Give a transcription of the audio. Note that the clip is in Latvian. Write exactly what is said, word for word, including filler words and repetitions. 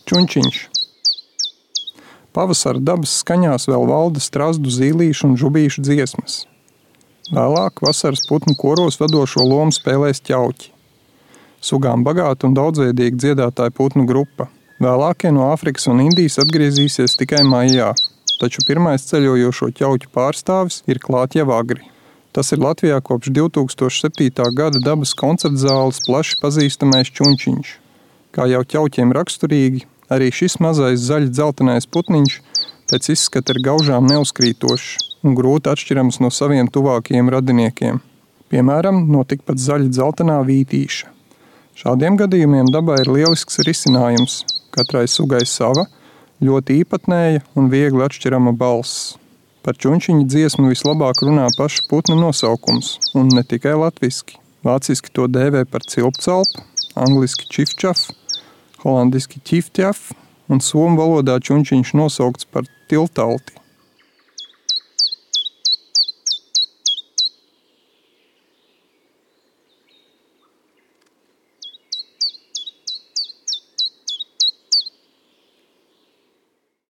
Čunčiņš. Pavasara dabas skaņās vēl valda strazdu, zīlīšu un žubīšu dziesmas. Vēlāk vasaras putnu koros vadošo lomu spēlēs ķauķi. Sugām bagāta un daudzveidīga dziedātāja putnu grupa. Vēlākie no Āfrikas un Indijas atgriezīsies tikai maijā, taču pirmais ceļojošo ķauķu pārstāvis ir klāt jau agri. Tas ir Latvijā kopš divi tūkstoši septītā gada dabas koncertzāles plaši pazīstamais čunčiņš. Kā jau ķauķiem raksturīgi, arī šis mazais zaļi dzeltenais putniņš pēc izskata ir gaužām neuzkrītošs un grūti atšķirams no saviem tuvākajiem radiniekiem. Piemēram, no tikpat zaļi dzeltenā vītīša. Šādiem gadījumiem dabā ir lielisks risinājums. Katrai sugai sava, ļoti īpatnēja un viegli atšķirama balss. Par čunčiņu dziesmu vislabāk runā paša putna nosaukums, un ne tikai latviski. Vāciski to dēvē par cilpcalpu, angliski čifčaf, holandiski ķiftjaf un somu valodā čunčiņš nosaukts par tiltalti.